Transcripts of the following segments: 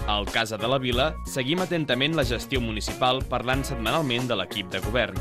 Al Casa de la Vila seguim atentament la gestió municipal parlant setmanalment de l'equip de govern.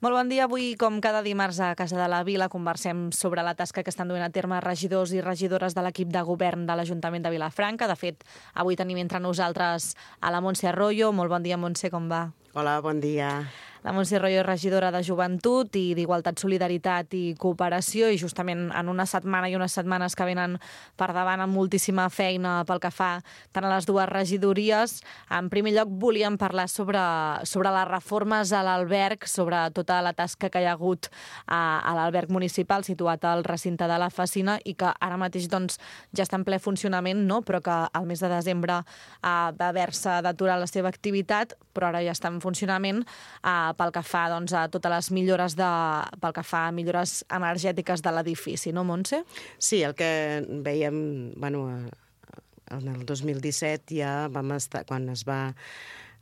Molt bon dia. Avui, com cada dimarts a Casa de la Vila, conversem sobre la tasca que estan duent a terme regidors i regidores de l'equip de govern de l'Ajuntament de Vilafranca. De fet, avui tenim entre nosaltres a la Montse Arroyo. Molt bon dia, Montse, com va? Hola, bon dia. La Montse Arroyo és regidora de Joventut i d'Igualtat, Solidaritat i Cooperació, i justament en una setmana i unes setmanes que venen per davant amb moltíssima feina pel que fa tant a les dues regidories. En primer lloc volíem parlar sobre les reformes a l'alberg, sobre tota la tasca que hi ha hagut a l'alberg municipal situat al recinte de la Facina i que ara mateix doncs, ja està en ple funcionament, no? Però que al mes de desembre va haver-se d'aturar la seva activitat, però ara ja està en funcionament pel que fa doncs, a totes les millores pel que fa a millores energètiques de l'edifici, no, Montse? Sí, el que veiem, en el 2017 ja vam estar, quan es va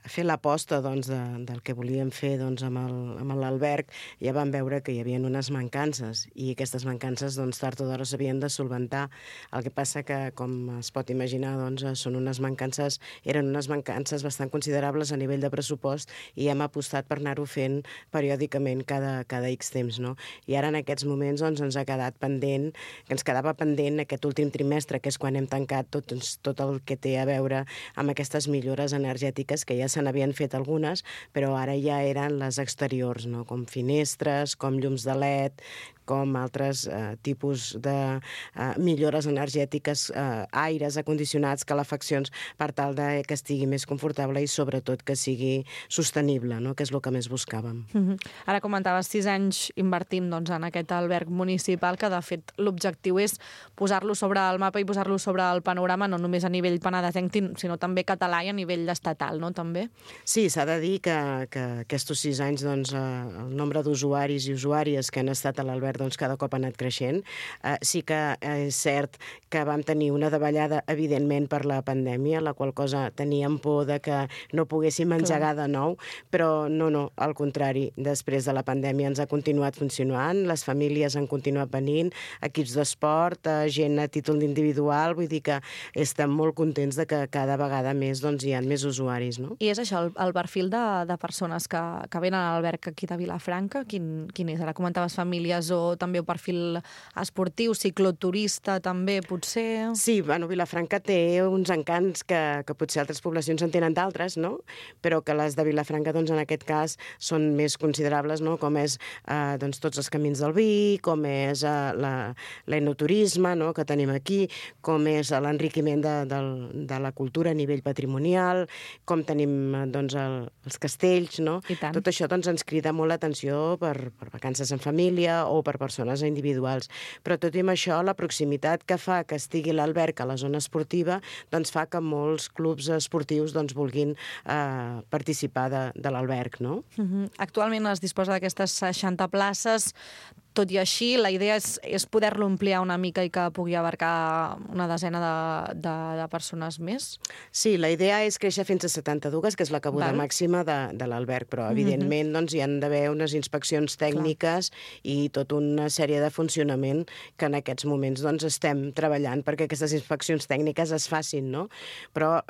fer l'aposta doncs, del que volíem fer doncs, amb l'alberg, ja vam veure que hi havia unes mancances i aquestes mancances doncs, tard o d'hora s'havien de solventar. El que passa que, com es pot imaginar, doncs, eren unes mancances bastant considerables a nivell de pressupost i hem apostat per anar-ho fent periòdicament cada X temps. No? I ara en aquests moments doncs, ens quedava pendent aquest últim trimestre, que és quan hem tancat tot el que té a veure amb aquestes millores energètiques que ja se n'havien fet algunes, però ara ja eren les exteriors, no? Com finestres, com llums de LED, com altres tipus de millores energètiques, aires acondicionats, calefaccions, per tal que estigui més confortable i sobretot que sigui sostenible, no? Que és el que més buscàvem. Ara comentaves 6 anys invertint doncs, en aquest alberg municipal, que de fet l'objectiu és posar-lo sobre el mapa i posar-lo sobre el panorama, no només a nivell penedesenc, sinó també català i a nivell estatal, no? També? Sí, s'ha de dir que aquests 6 anys doncs, el nombre d'usuaris i usuàries que han estat a l'alberg doncs, cada cop ha anat creixent. Sí que és cert que vam tenir una davallada, evidentment, per la pandèmia, la qual cosa teníem por de que no poguéssim engegar de nou, però no, al contrari, després de la pandèmia ens ha continuat funcionant, les famílies han continuat venint, equips d'esport, gent a títol individual, vull dir que estem molt contents de que cada vegada més doncs, hi ha més usuaris. No? I és això, el perfil de persones que venen a l'alberg aquí de Vilafranca, quin és? Ara comentaves famílies o també un perfil esportiu, cicloturista també, potser? Sí, Vilafranca té uns encants que potser altres poblacions en tenen d'altres, no? Però que les de Vilafranca, doncs, en aquest cas, són més considerables, no? Com és doncs, tots els camins del vi, com és l'enoturisme, no? Que tenim aquí, com és l'enriquiment de la cultura a nivell patrimonial, com tenim doncs, els castells, no? Tot això doncs, ens crida molt l'atenció per vacances en família o per persones individuals. Però tot i amb això, la proximitat que fa que estigui l'alberg a la zona esportiva doncs fa que molts clubs esportius doncs, vulguin participar de l'alberg. No? Actualment es disposa d'aquestes 60 places. Tot i així, la idea és poder-lo ampliar una mica i que pugui abarcar una desena de persones més? Sí, la idea és créixer fins a 72, que és la cabuda màxima de l'alberg, però evidentment doncs, hi han d'haver unes inspeccions tècniques i tota una sèrie de funcionament que en aquests moments doncs, estem treballant perquè aquestes inspeccions tècniques es facin, no? Però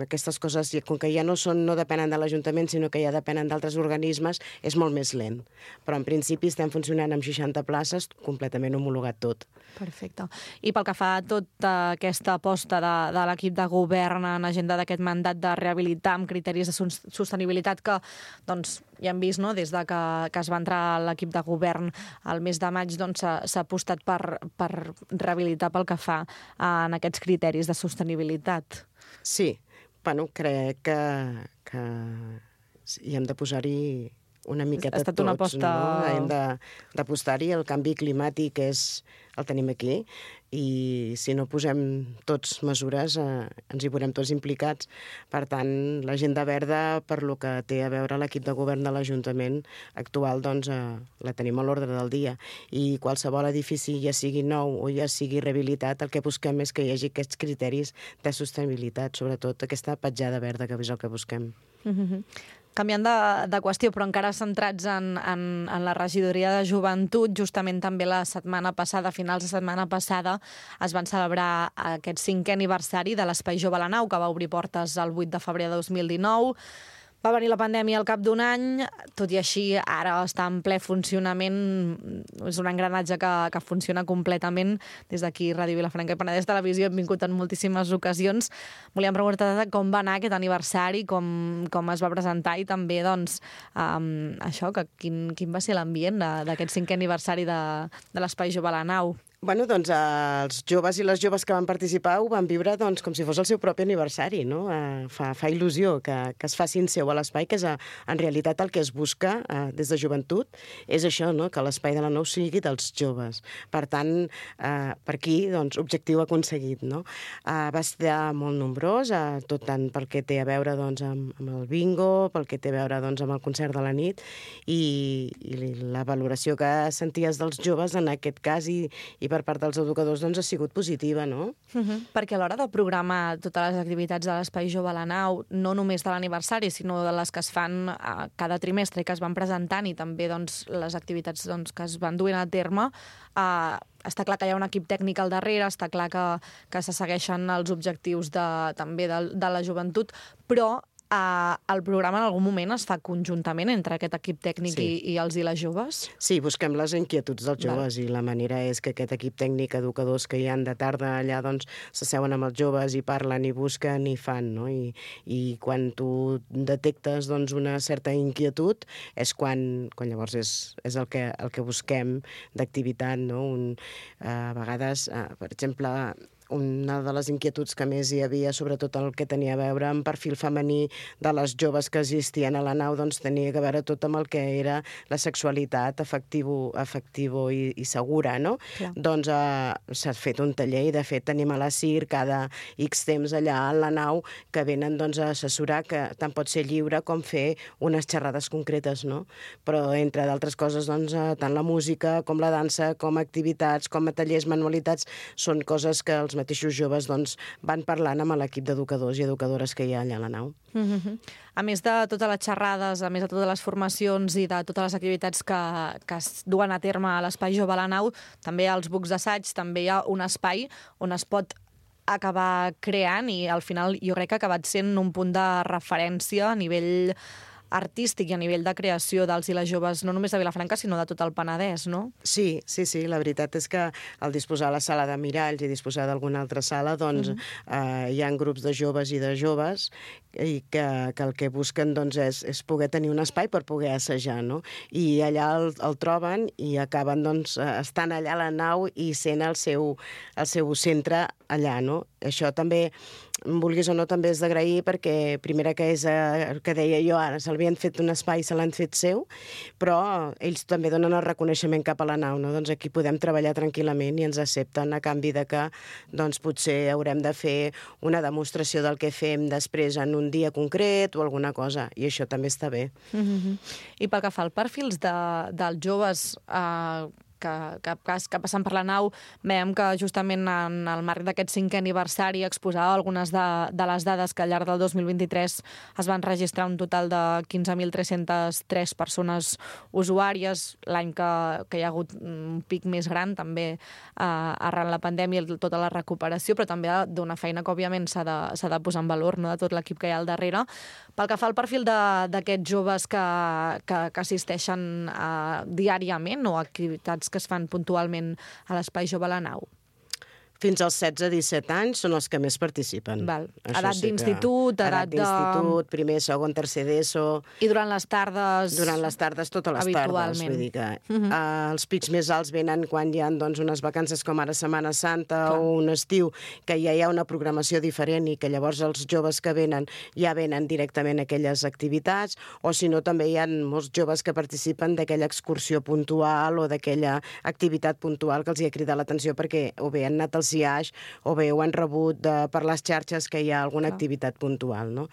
aquestes coses, com que ja no depenen de l'Ajuntament, sinó que ja depenen d'altres organismes, és molt més lent. Però en principi estem funcionant amb 60 places, completament homologat tot. Perfecte. I pel que fa a tota aquesta aposta de l'equip de govern en agenda d'aquest mandat de rehabilitar amb criteris de sostenibilitat que doncs, ja hem vist, no? Des de que es va entrar a l'equip de govern al mes de maig, doncs, s'ha apostat per rehabilitar pel que fa en aquests criteris de sostenibilitat. Sí, crec que hi hem de posar-hi una miqueta tots. Ha estat una aposta... No? Hem d'apostar-hi, el canvi climàtic el tenim aquí i si no posem tots mesures ens hi veurem tots implicats. Per tant, l'agenda verda, per lo que té a veure l'equip de govern de l'Ajuntament actual, doncs la tenim a l'ordre del dia. I qualsevol edifici, ja sigui nou o ja sigui rehabilitat, el que busquem és que hi hagi aquests criteris de sostenibilitat, sobretot aquesta petjada verda, que és el que busquem. Canviant de qüestió, però encara centrats en la regidoria de joventut, justament també la setmana passada, a finals de setmana passada, es van celebrar aquest 5è aniversari de l'Espai Jove a la Nau, que va obrir portes el 8 de febrer de 2019. Va venir la pandèmia al cap d'un any, tot i així ara està en ple funcionament, és un engranatge que funciona completament. Des d'aquí, Ràdio Vilafranca i Penedès Televisió hem vingut en moltíssimes ocasions. Volíem preguntar com va anar aquest aniversari, com es va presentar i també, doncs, això, quin va ser l'ambient d'aquest 5è aniversari de l'Espai Jove a la Nau. Bueno, doncs els joves i les joves que van participar ho van viure doncs, com si fos el seu propi aniversari, no? Fa il·lusió que es facin seu a l'espai, que és en realitat el que es busca des de joventut, és això, no? Que l'espai de la Nau sigui dels joves. Per tant, per aquí, doncs, objectiu aconseguit, no? Va estar molt nombrós, tot tant pel que té a veure doncs, amb el bingo, pel que té a veure doncs, amb el concert de la nit, i la valoració que senties dels joves en aquest cas i per part dels educadors doncs, ha sigut positiva, no? Perquè a l'hora de programar totes les activitats de l'Espai Jove a la Nau, no només de l'aniversari, sinó de les que es fan cada trimestre i que es van presentant, i també doncs, les activitats doncs, que es van duent a terme, està clar que hi ha un equip tècnic al darrere, està clar que se segueixen els objectius també de la joventut, però el programa en algun moment es fa conjuntament entre aquest equip tècnic i els i les joves? Sí, busquem les inquietuds dels joves i la manera és que aquest equip tècnic, educadors que hi han de tarda allà, doncs s'asseuen amb els joves i parlen i busquen i fan, no? I quan tu detectes doncs, una certa inquietud és quan llavors és el que busquem d'activitat, no? A vegades, per exemple, una de les inquietuds que més hi havia, sobretot el que tenia a veure amb perfil femení de les joves que existien a la nau, doncs tenia a veure tot amb el que era la sexualitat afectivo i segura, no? Clar. Doncs s'ha fet un taller i, de fet, tenim a la CIR cada X temps allà a la nau que venen doncs, a assessorar, que tant pot ser lliure com fer unes xerrades concretes, no? Però, entre d'altres coses, doncs, tant la música com la dansa, com activitats, com a tallers, manualitats, són coses que els mateixos joves doncs, van parlant amb l'equip d'educadors i educadores que hi ha allà a la nau. A més de totes les xerrades, a més de totes les formacions i de totes les activitats que es duen a terme a l'Espai Jove a la Nau, també als bucs d'assaig, també hi ha un espai on es pot acabar creant i al final jo crec que ha acabat sent un punt de referència a nivell artístic i a nivell de creació dels i les joves, no només de Vilafranca, sinó de tot el Penedès, no? Sí, la veritat és que al disposar de la sala de miralls i disposar d'alguna altra sala, doncs hi ha grups de joves i de joves i que el que busquen doncs, és poder tenir un espai per poder assajar, no? I allà el troben i acaben doncs, estant allà a la nau i sent el seu centre allà, no? Això també, vulguis o no, també és d'agrair perquè, primera, que és el que deia jo ara, s'havien fet un espai, se l'han fet seu, però ells també donen el reconeixement cap a la nau, no? Doncs aquí podem treballar tranquil·lament i ens accepten a canvi de que doncs, potser haurem de fer una demostració del que fem després en un dia concret o alguna cosa, i això també està bé. I pel que fa al perfils dels joves que passen per la nau, veiem que justament en el marc d'aquest 5è aniversari exposava algunes de les dades que al llarg del 2023 es van registrar un total de 15.303 persones usuàries, l'any que hi ha hagut un pic més gran també arran la pandèmia i tota la recuperació, però també d'una feina que òbviament s'ha de posar en valor, no?, de tot l'equip que hi ha al darrere. Pel que fa al perfil d'aquests joves que assisteixen diàriament o activitats que es fan puntualment a l'Espai Jove a la Nau? Fins als 16-17 anys són els que més participen. Val. Edat d'institut, edat d'institut, primer, segon, tercer d'ESO... I durant les tardes... Durant les tardes, totes les tardes. Vull dir que els pics més alts venen quan hi ha doncs, unes vacances com ara Setmana Santa o un estiu, que ja hi ha una programació diferent i que llavors els joves que venen ja venen directament a aquelles activitats, o si no també hi ha molts joves que participen d'aquella excursió puntual o d'aquella activitat puntual que els hi ha cridat l'atenció perquè o bé han anat als IAix o bé ho han rebut per les xarxes que hi ha alguna activitat puntual, no?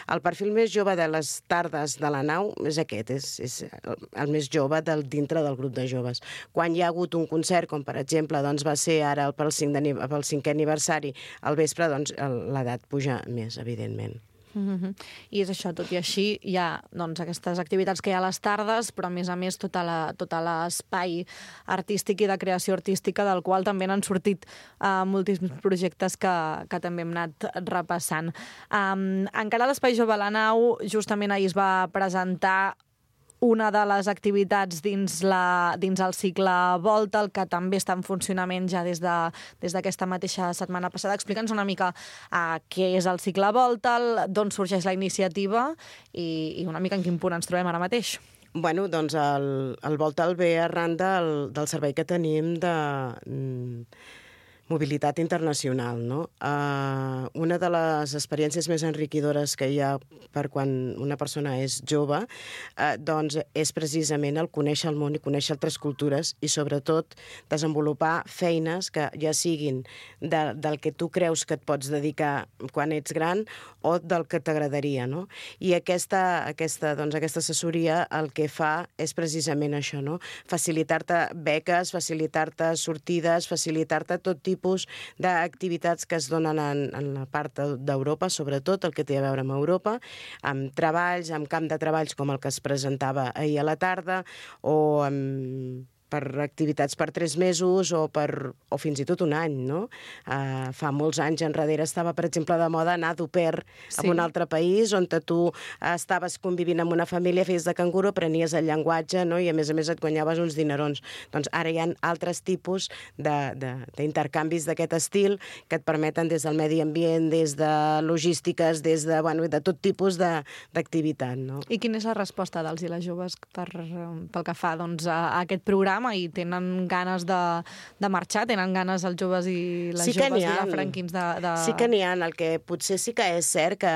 El perfil més jove de les tardes de la nau és aquest, és el més jove dintre del grup de joves. Quan hi ha hagut un concert, com per exemple doncs va ser ara pel 5è aniversari, al vespre, doncs l'edat puja més, evidentment. I és això, tot i així, hi ha aquestes activitats que hi ha a les tardes, però a més tot l'espai artístic i de creació artística, del qual també n'han sortit moltíssims projectes que també hem anat repassant. Encara a l'Espai Jove a la Nau, justament ahir es va presentar una de les activitats dins el cicle Volta, el que també està en funcionament ja des d'aquesta mateixa setmana passada. Explica'ns una mica què és el cicle Volta, d'on sorgeix la iniciativa i una mica en quin punt ens trobem ara mateix. Bueno, doncs el Volta el ve arran del servei que tenim de mobilitat internacional, no? Una de les experiències més enriquidores que hi ha per quan una persona és jove, doncs és precisament el conèixer el món i conèixer altres cultures i sobretot desenvolupar feines que ja siguin del que tu creus que et pots dedicar quan ets gran o del que t'agradaria, no? I aquesta assessoria el que fa és precisament això, no? Facilitar-te beques, facilitar-te sortides, facilitar-te tot tipus d'activitats que es donen en la part d'Europa, sobretot el que té a veure amb Europa, amb treballs, amb camp de treballs com el que es presentava ahir a la tarda, o per activitats per 3 mesos o fins i tot un any, no? Fa molts anys enrere estava, per exemple, de moda anar d'au pair a un altre país on tu estaves convivint amb una família, feies de canguro, aprenies el llenguatge, no? I a més et guanyaves uns dinerons. Doncs ara hi ha altres tipus d'intercanvis d'aquest estil que et permeten des del medi ambient, des de logístiques, des de tot tipus d'activitat, no? I quina és la resposta dels i les joves pel que fa a aquest programa? I tenen ganes de marxar? Tenen ganes els joves i les joves vilafranquins de... Sí que n'hi ha. El que potser sí que és cert que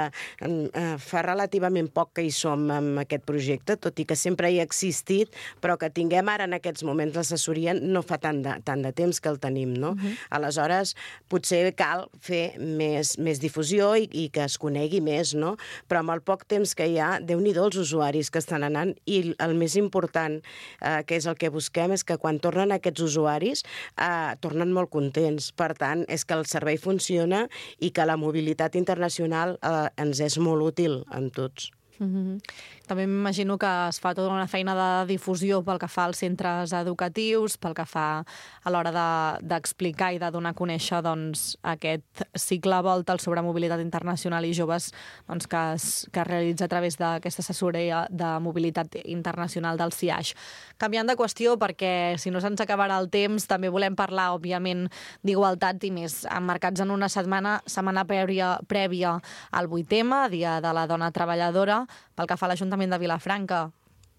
fa relativament poc que hi som amb aquest projecte, tot i que sempre hi ha existit, però que tinguem ara en aquests moments l'assessoria no fa tant de temps que el tenim, no? Aleshores, potser cal fer més difusió i que es conegui més, no? Però amb el poc temps que hi ha, Déu-n'hi-do els usuaris que estan anant, i el més important, que és el que busquem, és que quan tornen aquests usuaris tornen molt contents. Per tant, és que el servei funciona i que la mobilitat internacional ens és molt útil en tots. També m'imagino que es fa tota una feina de difusió pel que fa als centres educatius, pel que fa a l'hora d'explicar i de donar a conèixer aquest cicle Volta sobre mobilitat internacional i joves que es realitza a través d'aquesta assessoria de mobilitat internacional del CIAix. Canviant de qüestió, perquè si no se'ns acabarà el temps, també volem parlar, òbviament, d'igualtat i més emmarcats en una setmana prèvia al 8M, Dia de la Dona Treballadora, pel que fa a l'Ajuntament de Vilafranca.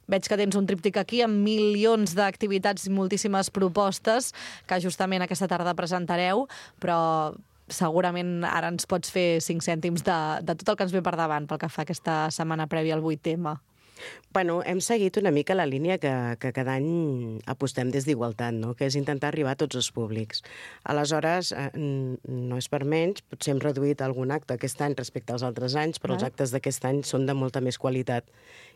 Veig que tens un tríptic aquí amb milions d'activitats i moltíssimes propostes que justament aquesta tarda presentareu, però segurament ara ens pots fer 5 cèntims de tot el que ens ve per davant pel que fa a aquesta setmana prèvia al 8M. Bueno, hem seguit una mica la línia que cada any apostem des d'Igualtat, no? Que és intentar arribar a tots els públics. Aleshores, no és per menys, potser hem reduït algun acte aquest any respecte als altres anys, però els actes d'aquest any són de molta més qualitat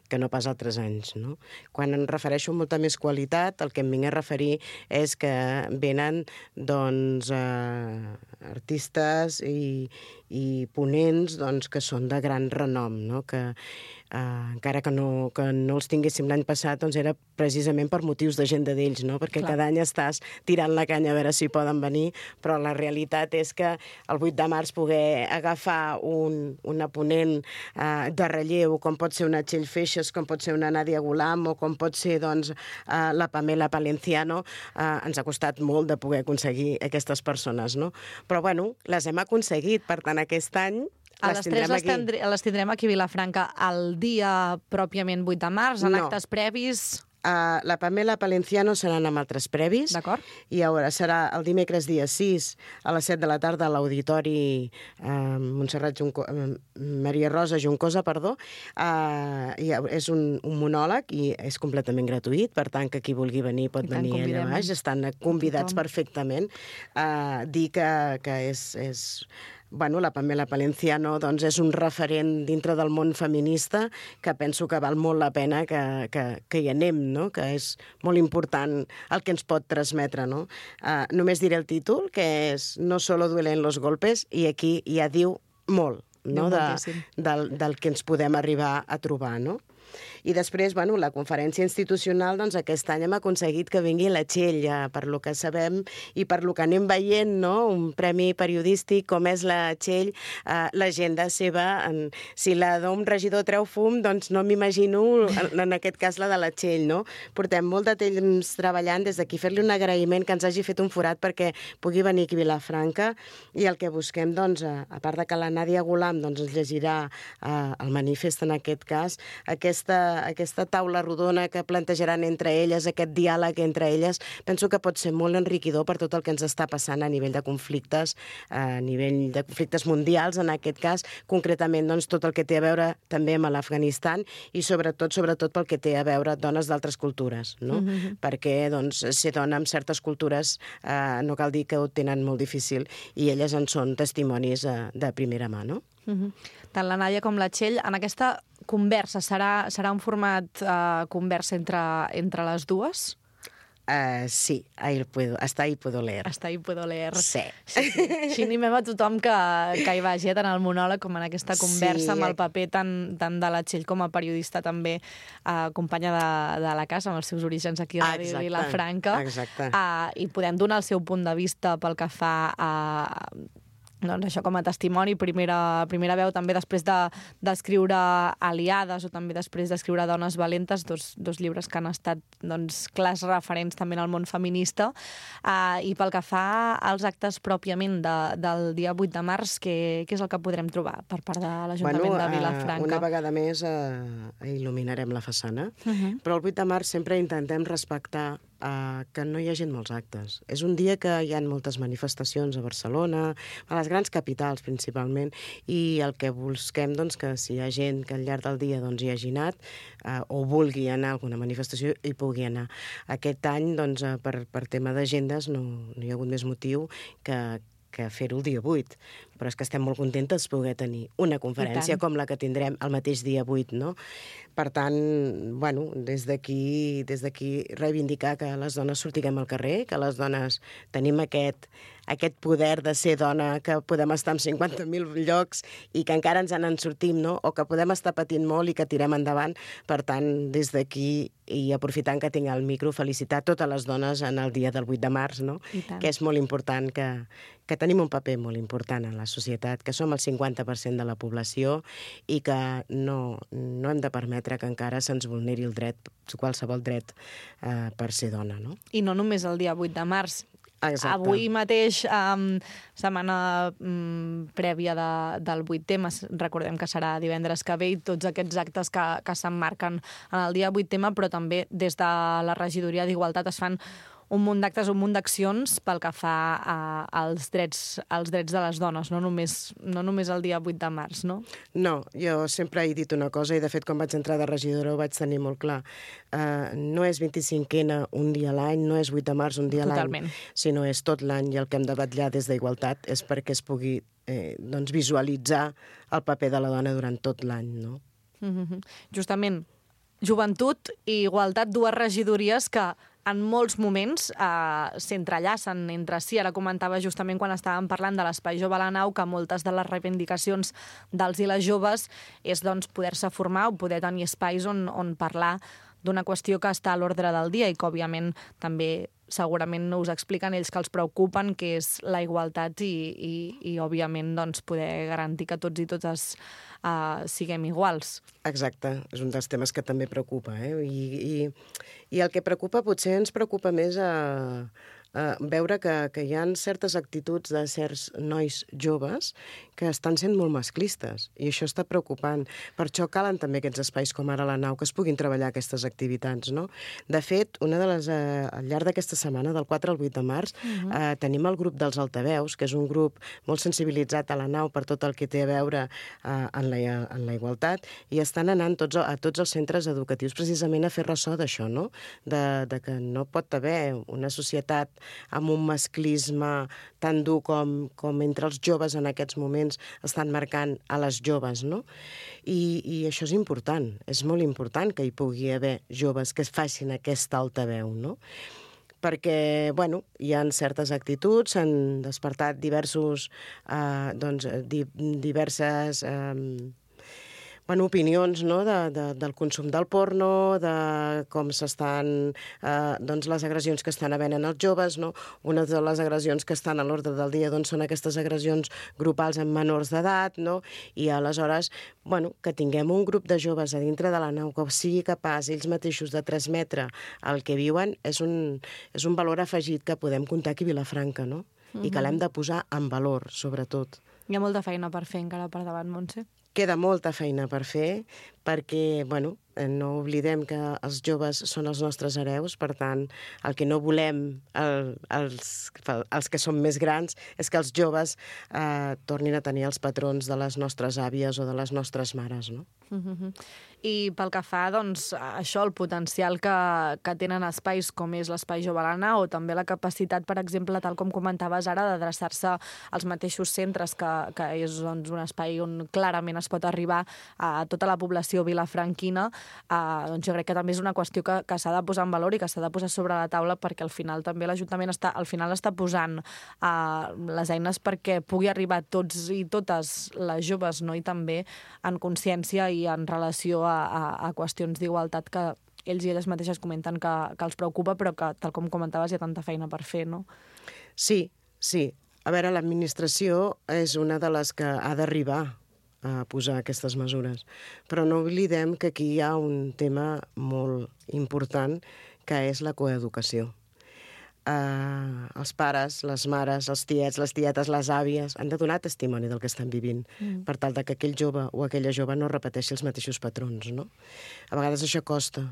que no pas altres anys, no? Quan em refereixo a molta més qualitat, el que em vinc a referir és que venen, artistes i ponents, que són de gran renom, no? Que encara que no els tinguéssim l'any passat, era precisament per motius d'agenda d'ells, no? Perquè cada any estàs tirant la canya a veure si poden venir, però la realitat és que el 8 de març poder agafar una ponent de relleu, com pot ser una Txell Feixes, com pot ser una Nàdia Gulam o com pot ser la Pamela Palenciano, ens ha costat molt de poder aconseguir aquestes persones, no? Però bueno, les hem aconseguit, per tant aquest any les tindrem aquí a Vilafranca el dia pròpiament 8 de març, en actes previs... La Pamela Palenciano seran amb altres previs. D'acord. I serà el dimecres dia 6 a les 7 de la tarda a l'Auditori Maria Rosa Juncosa, és un monòleg i és completament gratuït, per tant que qui vulgui venir pot venir allà baix. Estan convidats perfectament. Dir que és... Bueno, la Pamela Palenciano és un referent dintre del món feminista que penso que val molt la pena que hi anem, no? Que és molt important el que ens pot transmetre, no? Només diré el títol, que és No solo duelen los golpes, i aquí ja diu molt. no? Del que ens podem arribar a trobar, no? I després, bueno, la conferència institucional, doncs aquest any hem aconseguit que vingui la Txell, per lo que sabem i per lo que anem veient, no? Un premi periodístic com és la Txell, l'agenda seva, si la d'un regidor treu fum, doncs no m'imagino en aquest cas la de la Txell, no? Portem molt de temps treballant, des d'aquí fer-li un agraïment que ens hagi fet un forat perquè pugui venir aquí a Vilafranca, i el que busquem, doncs, a part de que la Nàdia Golam doncs, ens llegirà el manifest en aquest cas, aquesta taula rodona que plantejaran entre elles, aquest diàleg entre elles, penso que pot ser molt enriquidor per tot el que ens està passant a nivell de conflictes, mundials, en aquest cas, concretament doncs, tot el que té a veure també amb l'Afganistan i sobretot pel que té a veure dones d'altres cultures, no? Perquè doncs, ser dona en certes cultures no cal dir que ho tenen molt difícil i elles en són testimonis de primera mà, no? Tant la Nàdia com la Txell, en aquesta conversa serà un format conversa entre les dues? Sí, hasta ahí puedo leer. Hasta ahí puedo leer. Sí. Així animem a tothom que hi vagi, tant al monòleg com en aquesta conversa, amb el paper tant de la Txell com a periodista també, companya de la casa, amb els seus orígens aquí a Ràdio Vilafranca. Exacte. I podem donar el seu punt de vista pel que fa a doncs això com a testimoni, primera veu també després d'escriure Aliades o també després d'escriure Dones valentes, dos llibres que han estat doncs, clars referents també en el món feminista. I pel que fa als actes pròpiament del dia 8 de març, què és el que podrem trobar per part de l'Ajuntament de Vilafranca? Una vegada més il·luminarem la façana, però el 8 de març sempre intentem respectar que no hi hagi molts actes. És un dia que hi ha moltes manifestacions a Barcelona, a les grans capitals principalment, i el que busquem doncs, que si hi ha gent que al llarg del dia doncs, hi hagi anat o vulgui anar a alguna manifestació, hi pugui anar. Aquest any, doncs, per tema d'agendes, no hi ha hagut més motiu que fer-ho el dia 8, però és que estem molt contentes de poder tenir una conferència com la que tindrem el mateix dia 8, no? Per tant, bueno, des d'aquí reivindicar que les dones sortiguem al carrer, que les dones tenim aquest poder de ser dona, que podem estar en 50.000 llocs i que encara ens en sortim, no? O que podem estar patint molt i que tirem endavant. Per tant, des d'aquí, i aprofitant que tinc el micro, felicitar totes les dones en el dia del 8 de març, no? Que és molt important, que tenim un paper molt important en la societat, que som el 50% de la població i que no hem de permetre que encara se'ns vulneri el dret, qualsevol dret per ser dona, no? I no només el dia 8 de març. Exacte. Avui mateix, setmana prèvia del 8M, recordem que serà divendres que ve, i tots aquests actes que s'emmarquen en el dia 8M, però també des de la regidoria d'Igualtat es fan un munt d'actes, un munt d'accions pel que fa als drets de les dones, no només el dia 8 de març, no? No, jo sempre he dit una cosa, i de fet quan vaig entrar de regidora ho vaig tenir molt clar. No és 25N un dia a l'any, no és 8 de març un dia a l'any, sinó és tot l'any, i el que hem de vetllar des d'Igualtat és perquè es pugui visualitzar el paper de la dona durant tot l'any, no? Justament, joventut i igualtat, dues regidories que en molts moments s'entrellacen entre si. Ara comentava justament quan estàvem parlant de l'Espai Jove a la Nau que moltes de les reivindicacions dels i les joves és doncs, poder-se formar o poder tenir espais on parlar d'una qüestió que està a l'ordre del dia i que, òbviament, també segurament us expliquen ells que els preocupen, que és la igualtat i òbviament, doncs, poder garantir que tots i totes siguem iguals. Exacte, és un dels temes que també preocupa, I el que preocupa, potser ens preocupa més veure que hi ha certes actituds de certs nois joves que estan sent molt masclistes, i això està preocupant. Per això calen també aquests espais com ara la Nau, que es puguin treballar aquestes activitats, no? De fet, al llarg d'aquesta setmana, del 4 al 8 de març, tenim el grup dels altaveus, que és un grup molt sensibilitzat a la Nau per tot el que té a veure en la igualtat, i estan anant a tots els centres educatius precisament a fer ressò d'això, no? De que no pot haver una societat amb un masclisme tan dur com entre els joves en aquests moments estan marcant a les joves, no? I això és important, és molt important que hi pugui haver joves que facin aquesta altaveu, no? perquè, bueno, hi ha certes actituds, s'han despertat diverses opinions, no? Del consum del porno, de com s'estan, les agressions que estan havent en els joves, no? Una de les agressions que estan a l'ordre del dia són aquestes agressions grupals en menors d'edat, no? I aleshores, que tinguem un grup de joves a dintre de la nau que sigui capaç ells mateixos de transmetre el que viuen és un valor afegit que podem comptar aquí a Vilafranca, no? I que l'hem de posar en valor, sobretot. Hi ha molta feina per fer encara per davant, Montse. Queda molta feina per fer, perquè, no oblidem que els joves són els nostres hereus, per tant, el que no volem els que som més grans és que els joves tornin a tenir els patrons de les nostres àvies o de les nostres mares, no? I pel que fa, això, el potencial que tenen espais com és l'Espai Jove a la Nau, o també la capacitat, per exemple, tal com comentaves ara, d'adreçar-se als mateixos centres, que és un espai on clarament es pot arribar a tota la població vilafranquina, jo crec que també és una qüestió que s'ha de posar en valor i que s'ha de posar sobre la taula, perquè al final també l'Ajuntament està posant les eines perquè pugui arribar a tots i totes les joves, no? I també en consciència i en relació a qüestions d'igualtat que ells i elles mateixes comenten que els preocupa, però que, tal com comentaves, hi ha tanta feina per fer, no? Sí. A veure, l'administració és una de les que ha d'arribar a posar aquestes mesures. Però no oblidem que aquí hi ha un tema molt important, que és la coeducació. Els pares, les mares, els tiets, les tietes, les àvies han de donar testimoni del que estan vivint per tal que aquell jove o aquella jove no repeteixi els mateixos patrons, no? A vegades això costa,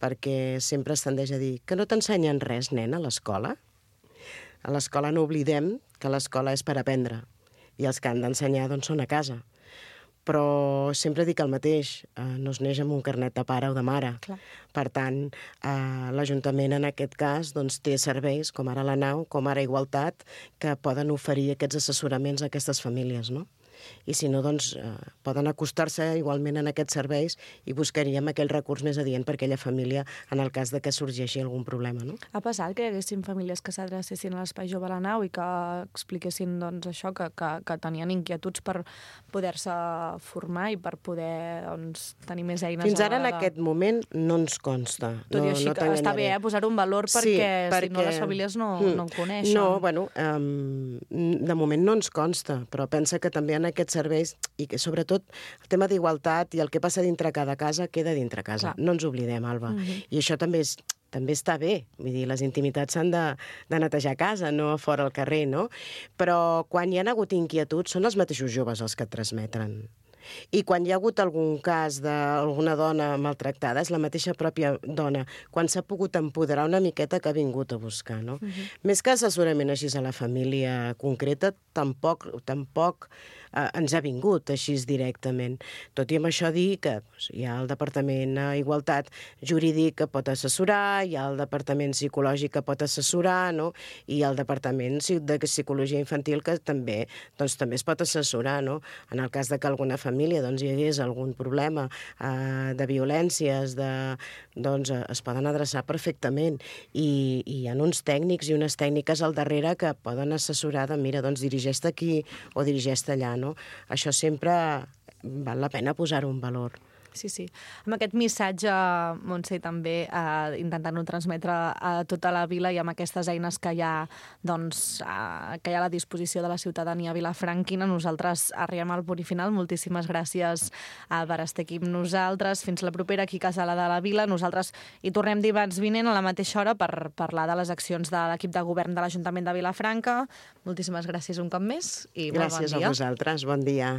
perquè sempre es tendeix a dir que no t'ensenyen res, nen, a l'escola. A l'escola no oblidem que l'escola és per aprendre i els que han d'ensenyar són a casa. Però sempre dic el mateix, no es neix amb un carnet de pare o de mare. Clar. Per tant, l'Ajuntament en aquest cas té serveis, com ara la nau, com ara Igualtat, que poden oferir aquests assessoraments a aquestes famílies, no? I si no, poden acostar-se igualment en aquests serveis i buscaríem aquell recurs més adient per aquella família en el cas de que sorgeixi algun problema, no? Ha passat que hi haguessin famílies que s'adrecessin a l'Espai Jove a la Nau i que expliquessin això, que tenien inquietuds per poder-se formar i per poder tenir més eines. Fins ara, en aquest moment, no ens consta. Tot i així que està bé posar un valor perquè si no les famílies no en coneixen. No, de moment no ens consta, però pensa que també en aquests serveis, i que sobretot el tema d'igualtat i el que passa dintre cada casa queda dintre casa. Clar. No ens oblidem, Alba. I això també està bé. Vull dir, les intimitats s'han de netejar a casa, no a fora al carrer, no? Però quan hi ha hagut inquietuds són els mateixos joves els que et transmeten. I quan hi ha hagut algun cas d'alguna dona maltractada, és la mateixa pròpia dona, quan s'ha pogut empoderar una miqueta, que ha vingut a buscar, no? Més que assessorament així a la família concreta, tampoc ens ha vingut així directament. Tot i amb això dir que hi ha el Departament d'Igualtat Jurídic que pot assessorar, hi ha el Departament Psicològic que pot assessorar, no? I el Departament de Psicologia Infantil que també es pot assessorar, no? En el cas de que alguna família hi hagués algun problema de violències, es poden adreçar perfectament. I hi ha uns tècnics i unes tècniques al darrere que poden assessorar mira, dirigeix-te aquí o dirigeix-te allà, no? Això sempre val la pena posar-ho en valor. Sí. Amb aquest missatge, Montse, també intentant-ho transmetre a tota la vila i amb aquestes eines que hi ha a la disposició de la ciutadania vilafranquina, nosaltres arribem al punt i final. Moltíssimes gràcies per estar aquí amb nosaltres. Fins la propera aquí a Casa de la Vila. Nosaltres hi tornem dimarts vinent a la mateixa hora per parlar de les accions de l'equip de govern de l'Ajuntament de Vilafranca. Moltíssimes gràcies un cop més i molt bon dia. Gràcies a vosaltres. Bon dia.